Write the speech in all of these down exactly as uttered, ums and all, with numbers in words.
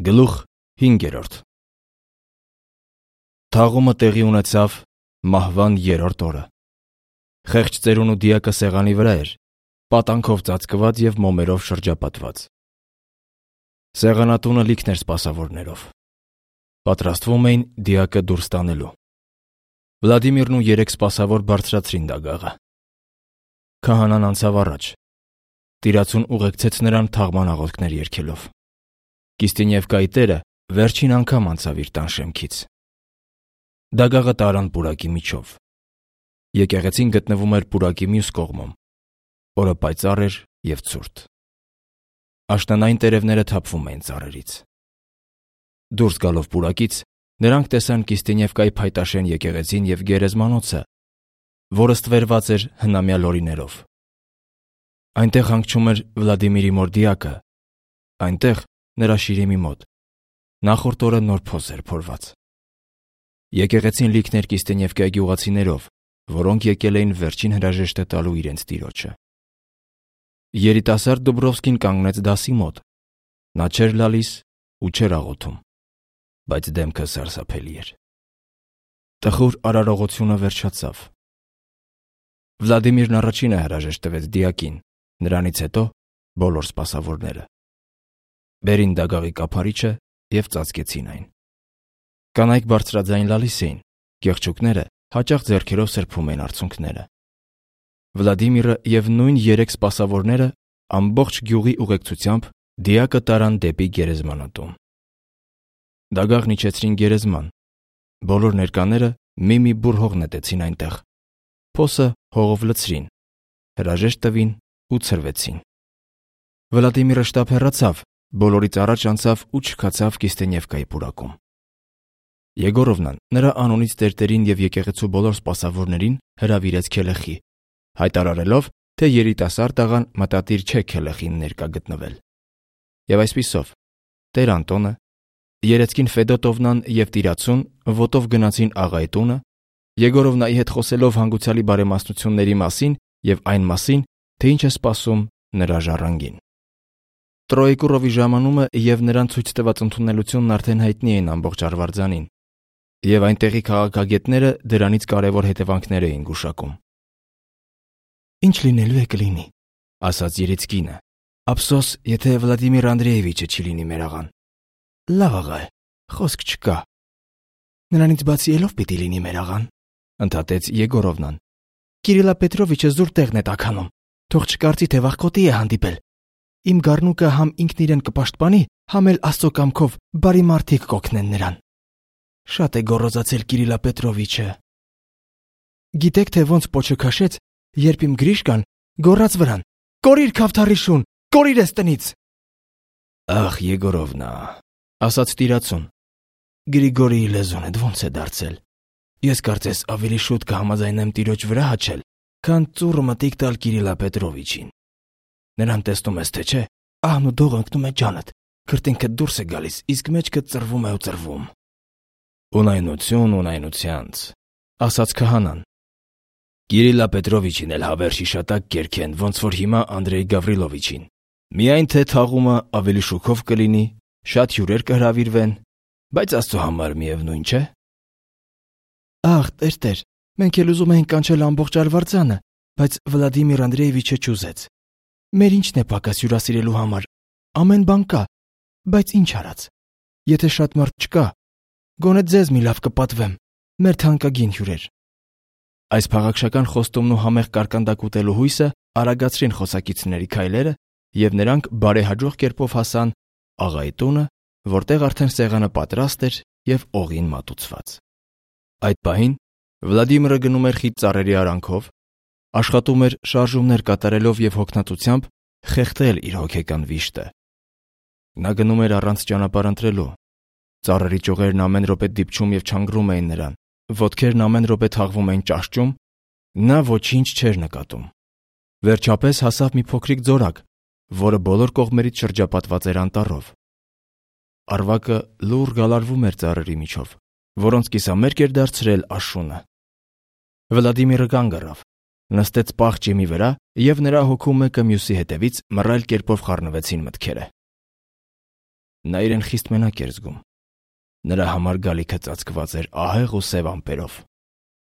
Գլուխ հինգերորդ Թաղումը տեղի ունեցավ մահվան երրորդ օրը։ Խեղճ ծերունու դիակը սեղանի վրա էր, պատանքով ծածկված և մոմերով շրջապատված։ Սեղանատունը լիքն էր սպասավորներով։ Պատրաստվում էին դիակը դուրս տանելու։ Վլադիմիրն ու երեք սպասավոր բարձրացրին դագաղը։ Քահանան անցավ առաջ։ Տիրացուն ուղեկցեց նրան թաղման աղոթքներ երգելով։ Կիստինևկայի տերը վերջին անգամ անցավ իր տան շեմքից։ Դագաղը տարան պուրակի միջով։ Եկեղեցին գտնվում էր պուրակի մյուս կողմում։ Օրը պայծառ էր և ցուրտ։ Աշնանային տերևները թափվում էին ծառերից։ Դուրս գալով պուրակից, նրանք տեսան Կիստինևկայի փայտաշեն եկեղեցին և գերեզմանոցը, որը ստվերված էր հնամյա լորիներով։ Այնտեղ հանգչում էր Վլադիմիրի մոր դիակը, այնտեղ նրա շիրիմի մոտ նախորդ օրը նոր փոս էր փորված։ Եկեղեցին լիքն էր Կիստինևկայի գյուղացիներով, որոնք եկել էին վերջին հրաժեշտը տալու իրենց տիրոջը։ Երիտասարդ Դուբրովսկին կանգնեց դասի մոտ։ Նա չէր լալիս ու չէր աղոթում, բայց դեմքը սարսափելի էր։ Տխուր արարողությունը վերջացավ։ Վլադիմիրն առաջինը հրաժեշտ տվեց դիակին, նրանից հետո բոլոր սպասավորները։ Բերին դագաղի կափարիչը և ծածկեցին այն։ Կանայք բարձրաձայն լալիս էին, կեղճուկները հաճախ ձեռքերով սրբում էին արցունքները։ Վլադիմիրը և նույն երեք սպասավորները ամբողջ գյուղի ուղեկցությամբ դիակը տարան դեպի գերեզմանատուն։ Դագաղն իջեցրին գերեզման։ Բոլոր ներկաները մի-մի բուռ հող նետեցին այնտեղ։ Փոսը հողով լցրին, հրաժեշտ տվին ու ցրվեցին։ Վլադիմիրը շտապ հեռացավ, բոլորից առաջ անցավ ու չքացավ Կիստինևկայի պուրակում։ Եգորովնան նրա անունից տերտերին և եկեղեցու բոլոր սպասավորներին հրավիրեց քելեխի, հայտարարելով, թե երիտասարդ աղան մտադիր չէ քելեխին ներկա գտնվել։ Եվ այսպիսով տեր Անտոնը, Երեցկին Ֆեդոտովնան և տիրացուն ոտով գնացին աղայի տունը, Եգորովնայի հետ խոսելով հանգուցալի բարեմասնությունների մասին և այն մասին, թե ինչ է սպասում նրա ժառանգին։ Տրոեկուրովի ժամանումը և նրան ցույց տված ընդունելությունն արդեն հայտնի էին ամբողջ Արվարձանին, և այնտեղի քաղաքագետները դրանից կարևոր հետևանքներ էին գուշակում։ «Ինչ լինելու է կլինի», ասաց Երեցկինը։ «Ափսոս, եթե Վլադիմիր Անդրեևիչը չի լինի մեր աղան»։ «Լավ աղա է, խոսք չկա»։ «Նրանից բացի ելով պիտի լինի մեր աղան», ընդհատեց Եգորովնան։ «Կիրիլա Պետրովիչը զուր տեղն է տաքանում, թող չկարծի, թե վախկոտի է հանդիպել։ Իմ գառնուկը համ ինքն իրեն կպաշտպանի, համ էլ Աստծո կամքով բարի մարդիկ կօգնեն նրան։ Շատ է գոռոզացել Կիրիլա Պետրովիչը։ Գիտեք, թե ոնց պոչը քաշեց, երբ իմ Գրիշկան գոռաց վրան. «Կորիր, քավթարի շուն, կորիր էս տնից»։ Ախ, Եգորովնա, ասաց տիրացուն, Գրիգորիի լեզուն ոնց է դարձել։ Ես կարծես ավելի շուտ կհամաձայնեմ տիրոջ վրա հաչել, քան ծուռը մտիկ տալ Կիրիլա Պետրովիչին։ Նրան տեսնում ես, թե չէ, ահն ու դող ընկնում է ջանդ, քրտինքդ դուրս է գալիս, իսկ մեջքդ ծռվում է ու ծռվում։ Ունայնություն ունայնությանց, ասաց քահանան։ Կիրիլա Պետրովիչին էլ հավեր շիշատակ կերքեն, ոնց որ հիմա Անդրեյ Գավրիլովիչին։ Միայն թե թաղումը ավելի շուքով կլինի, շատ հյուրեր կհրավիրվեն, բայց Աստծո համար միևնույն չէ։ Ախ, տեր, մենք էլ ուզում ենք կանչել ամբողջ Արվարձանը, բայց Վլադիմիր Անդրեևիչը չուզեց։ Մեր ինչն է պակաս հյուրասիրելու համար, ամեն բան կա, բայց ինչ արած։ Եթե շատ մարդ չկա, գոնե ձեզ մի լավ կպատվեմ, մեր թանկագին հյուրեր։ Այս փաղաքշական խոստումն ու համեղ կարկանդակ ուտելու հույսը արագացրին խոսակիցների քայլերը, և նրանք բարեհաջող կերպով հասան աղայի տունը, որտեղ արդեն սեղանը պատրաստ էր և օղին մատուցված։ Այդ պահին Վլադիմիրը գնում էր խիտ ծառերի արանքով, աշխատում էր շարժումներ կատարելով և հոգնածությամբ խեղդել իր հոգեկան վիշտը։ Նա գնում էր առանց ճանապարհ ընտրելու։ Ծառերի ճյուղերն ամեն րոպե դիպչում և չանգրում էին նրան, ոտքերն ամեն րոպե թաղվում էին ճաշճում, նա ոչինչ չէր նկատում։ Վերջապես հասավ մի փոքրիկ ձորակ, որը բոլոր կողմերից շրջապատված էր անտառով։ Արվակը լուռ գալարվում էր ծառերի միջով, որոնց կիսամերկ էր դարձրել աշունը։ Վլադիմիրը կանգ առավ, նստեց պաղ ճիմի վրա, և նրա հոգու մեկը մյուսի հետևից մռայլ կերպով խառնվեցին մտքերը։ Նա իրեն խիստ մենակ էր զգում։ Նրա համար գալիքը ծածկված էր ահեղ ու սև ամպերով։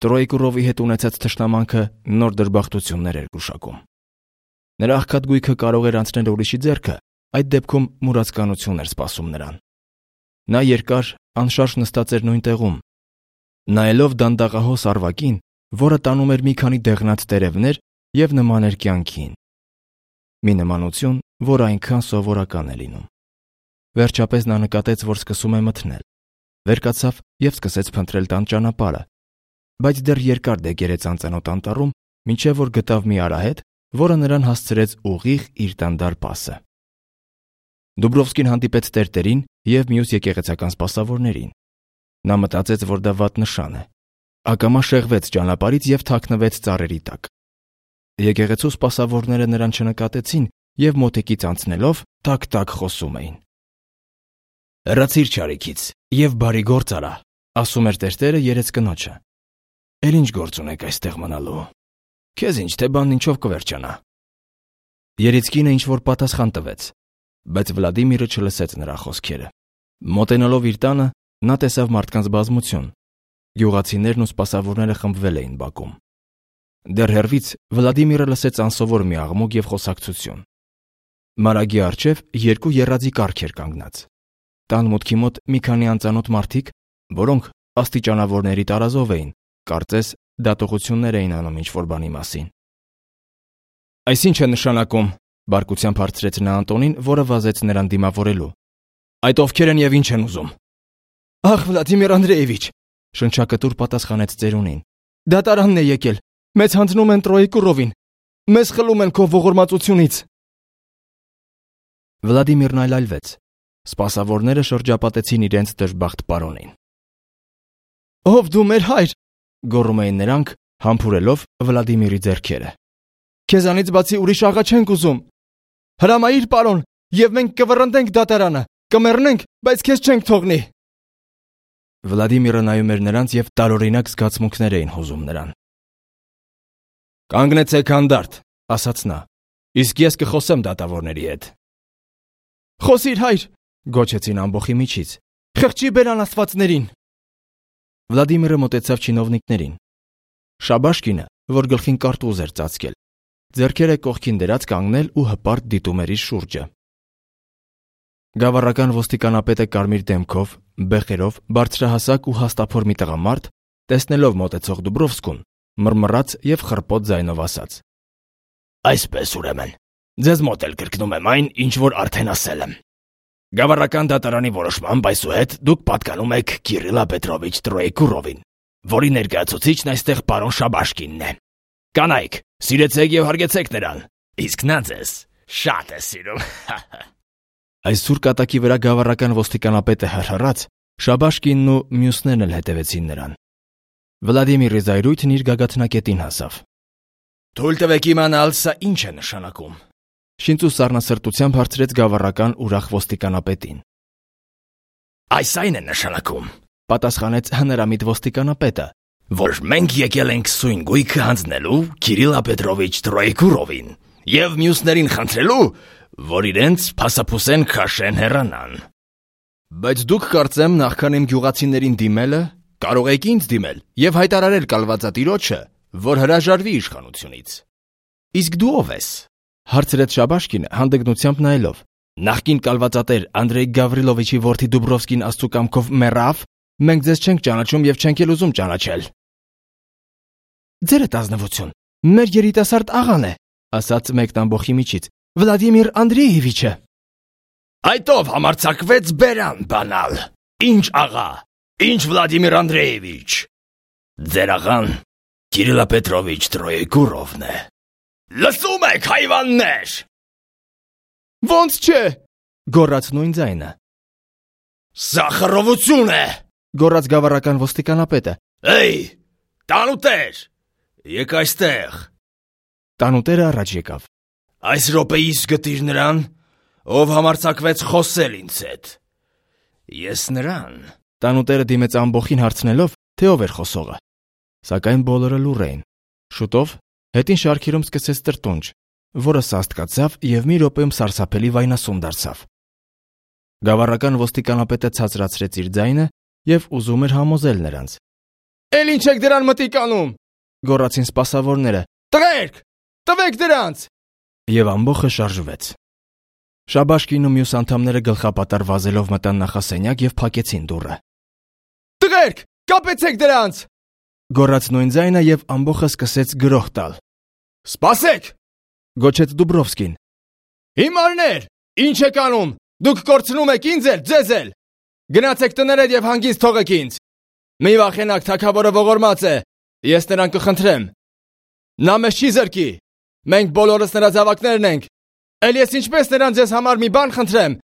Տրոյկուրովի հետ ունեցած թշնամանքը նոր դժբախտություններ էր գուշակում։ Նրա աղքատ գույքը կարող էր անցնել ուրիշի ձեռքը, այդ դեպքում մուրացկանություն էր սպասում նրան։ Նա երկար, անշարժ նստած էր նույն տեղում, նայելով դանդաղահոս արվակին, որը տանում էր մի քանի դեղնած տերևներ և նման էր կյանքին։ Մի նմանություն, որ այնքան սովորական է լինում։ Վերջապես նա նկատեց, որ սկսում է մթնել։ Վեր կացավ և սկսեց փնտրել տան ճանապարհը, բայց դեռ երկար դեգերեց անծանոթ անտառում, մինչև որ գտավ մի արահետ, որը նրան հասցրեց ուղիղ իր տան դարպասը։ Դուբրովսկին հանդիպեց տերտերին և մյուս եկեղեցական սպասավորներին։ Նա մտածեց, որ դա վատ նշան է։ Ակամա շեղվեց ճանապարհից և թաքնվեց ծառերի տակ։ Եկեղեցու սպասավորները նրան չնկատեցին և մոտիկից անցնելով տակ-տակ խոսում էին։ «Հեռացիր չարիքից և բարի գործ արա», ասում էր տերտերը երեց կնոջը։ «Էլ ինչ գործ ունեք այստեղ մնալու։ Քեզ ինչ թե բանն ինչով կվերջանա»։ Երիցկինը ինչ-որ պատասխան տվեց, բայց Վլադիմիրը չլսեց նրա խոսքերը։ Մոտենալով իր տանը, նա տեսավ մարդկանց բազմություն։ Գյուղացիներն ու սպասավորները խմբվել էին բակում։ Դեռ հեռվից Վլադիմիրը լսեց անսովոր մի աղմուկ և խոսակցություն։ Մարագի առջև երկու եռաձի կառք էր կանգնած։ Տան մուտքի մոտ մի քանի անծանոթ մարդիկ, որոնք աստիճանավորների տարազով էին, կարծես դատողություններ էին անում ինչ-որ բանի մասին։ «Այս ինչ է նշանակում», բարկությամբ հարցրեց նա Անտոնին, որը վազեց նրան դիմավորելու։ «Այդ ովքեր են և ինչ են ուզում»։ «Ախ, Վլադիմիր Անդրեևիչ», շնչակտուր պատասխանեց ծերունին։ «Դատարանն է եկել։ Մեզ հանձնում են Տրոյկուրովին։ Մեզ խլում են քո ողորմածությունից»։ Վլադիմիրն այլայլվեց։ Սպասավորները շրջապատեցին իրենց դժբախտ պարոնին։ «Ով դու մեր հայր», գոռում էին նրանք, համբուրելով Վլադիմիրի ձեռքերը։ «Քեզանից բացի ուրիշ աղա չենք ուզում։ Հրամայիր, պարոն, և մենք կվռնդենք դատարանը, կմեռնենք, բայց քեզ չենք թողնի»։ Վլադիմիրը նայում էր նրանց և տարօրինակ զգացմունքներ էին հուզում նրան։ «Կանգնեցեք հանդարտ», ասաց նա, «իսկ ես կխոսեմ դատավորների հետ»։ «Խոսիր, հայր», գոչեցին ամբոխի միջից, «խղճի բեր անաստվածներին»։ Վլադիմիրը մոտեցավ չինովնիկներին։ Շաբաշկինը, որ գլխին կարտուզ էր ծածկել, ձեռքերը կողքին դրած կանգնել ու հպարտ դիտում էր իր շուրջը։ Գավառական ոստիկանապետը կարմիր դեմքով, բեխերով, բարձրահասակ ու հաստափոր մի տղամարդ, տեսնելով մոտեցող Դուբրովսկուն, մռմռաց և խռպոտ ձայնով ասաց. «Այսպես ուրեմն, ձեզ մոտ էլ կրկնում եմ այն, ինչ որ արդեն ասել եմ։ Գավառական դատարանի որոշմամբ այսուհետ դուք պատկանում եք Կիրիլա Պետրովիչ Տրոյկուրովին, որի ներկայացուցիչն այստեղ պարոն Շաբաշկինն է։ Կանայք, սիրեցեք և հարգեցեք նրան, իսկ նա ձեզ շատ է սիրում»։ Այս սուր կատակի վրա գավառական ոստիկանապետը հրհրաց, Շաբաշկինն ու մյուսներն էլ հետևեցին նրան։ Վլադիմիրի զայրույթն իր գագաթնակետին հասավ։ «Թույլ տվեք իմանալ, սա ինչ է նշանակում», շինծ ու սառնասրտությամբ հարցրեց գավառական ուրախ ոստիկանապետին։ «Այս այն է նշանակում», պատասխանեց հնարամիտ ոստիկանապետը, «որ մենք եկել ենք սույն գույքը հանձնելու Կիրիլա Պետրովիչ Տրոյկուրովին և մյուսներին խնդրելու, որ իրենց փասափուսեն քաշեն հեռանան։ Բայց դուք կարծեմ նախքան իմ գյուղացիներին դիմելը, կարող եք ինձ դիմել և հայտարարել կալվածատիրոջը, որ հրաժարվի իշխանությունից»։ «Իսկ դու ով ես», հարցրեց Շաբաշկինը հանդգնությամբ նայելով։ «Նախկին կալվածատեր Անդրեյ Գավրիլովիչի որդի Դուբրովսկին աստծու կամքով մեռավ, մենք ձեզ չենք ճանաչում և չենք էլ ուզում ճանաչել»։ «Ձերդ ազնվություն, մեր երիտասարդ աղան է», ասաց մեկն ամբոխի միջից, «Վլադիմիր Անդրեևիչը»։ «Այդ ով համարձակվեց բերան բանալ։ Ինչ աղա, ինչ Վլադիմիր Անդրեևիչ։ Ձեր աղան Կիրիլա Պետրովիչ Տրոյկուրովն է։ Լսում եք, հայվաններ»։ «Ոնց չէ», գոռաց նույն ձայնը։ «Սա խռովություն է», գոռաց գավառական ոստիկանապետը։ «Էյ, տանուտեր, եկ այստեղ»։ Տանուտերը առաջ եկավ։ «Այս րոպեիս գտիր նրան, ով համարձակվեց խոսել ինձ հետ»։ «Ես նրան»։ Տանուտերը դիմեց ամբոխին հարցնելով, թե ով էր խոսողը։ Սակայն բոլորը լուռ էին։ Շուտով հետին շարքերում սկսեց տրտունջ, որը սաստկացավ և մի րոպեում սարսափելի վայնասուն դարձավ։ Գավառական ոստիկանապետը ցածրացրեց իր ձայնը և ուզում էր համոզել նրանց։ Էլ ինչ եք դրան մտիկ անում, գոռացին սպասավորները։ Տղերք, տվեք դրանց։ Եվ ամբոխը շարժվեց։ Շաբաշկին ու մյուս անդամները գլխապատար վազելով մտան նախասենյակ և փակեցին դուռը։ Տղերք, կապեցեք դրանց, գոռաց նույն ձայնը և ամբոխը սկսեց գրոհ տալ։ Սպասեք, գոչեց Դուբրովսկին։ Հիմարներ, ինչ եք անում, դուք կորցնում եք ինձ էլ, ձեզ էլ։ Գնացեք տներդ և հանգիստ թողեք ինձ։ Մի վախենակ, թագավորը ողորմած է, ես նրան կխնդրեմ։ Նա մեզ չի զրկի, մենք բոլորս նրա զավակներն ենք, էլ ես ինչպես նրան ձեզ համար մի բան խնդրեմ,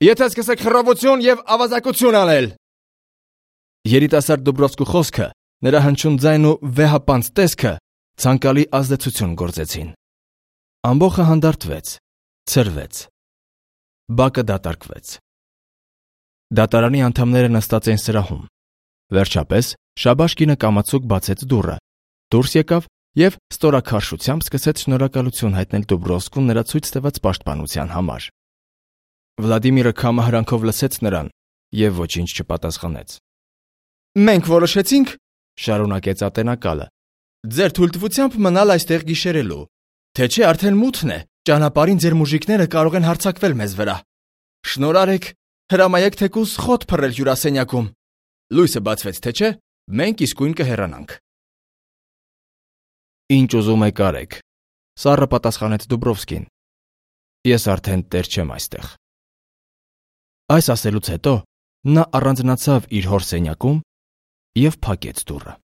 եթե սկսեք խռովություն և ավազակություն անել։ Երիտասարդ Դուբրովսկու խոսքը, նրա հնչյուն ձայնն ու վեհապանծ տեսքը ցանկալի ազդեցություն գործեցին։ Ամբոխը հանդարտվեց, ցրվեց։ Բակը դատարկվեց։ Դատարանի անդամները նստած էին սրահում։ Վերջապես Շաբաշկինը կամացուկ բացեց դուռը, դուրս եկավ և ստորաքարշությամբ սկսեց շնորհակալություն հայտնել Դուբրովսկուն նրա ցույց տված պաշտպանության համար։ Վլադիմիրը քամը հրանքով լսեց նրան և ոչինչ չպատասխանեց։ Մենք որոշեցինք, շարունակեց ատենակալը, ձեր թույլտվությամբ մնալ այստեղ գիշերելու, թե չէ արդեն մութն է, ճանապարհին ձեր մուժիկները կարող են հարձակվել մեզ վրա։ Շնորհ արեք, հրամայեք թեկուզ խոտ փռել հյուրասենյակում։ Լույսը բացվեց, թե չէ, մենք իսկույն կհեռանանք։ Ինչ ուզում եք արեք, սառը պատասխանեց Դուբրովսկին։ Ես արդեն տեր չեմ այստեղ։ Այս ասելուց հետո նա առանձնացավ իր հոր սենյակում և փակեց դուռը։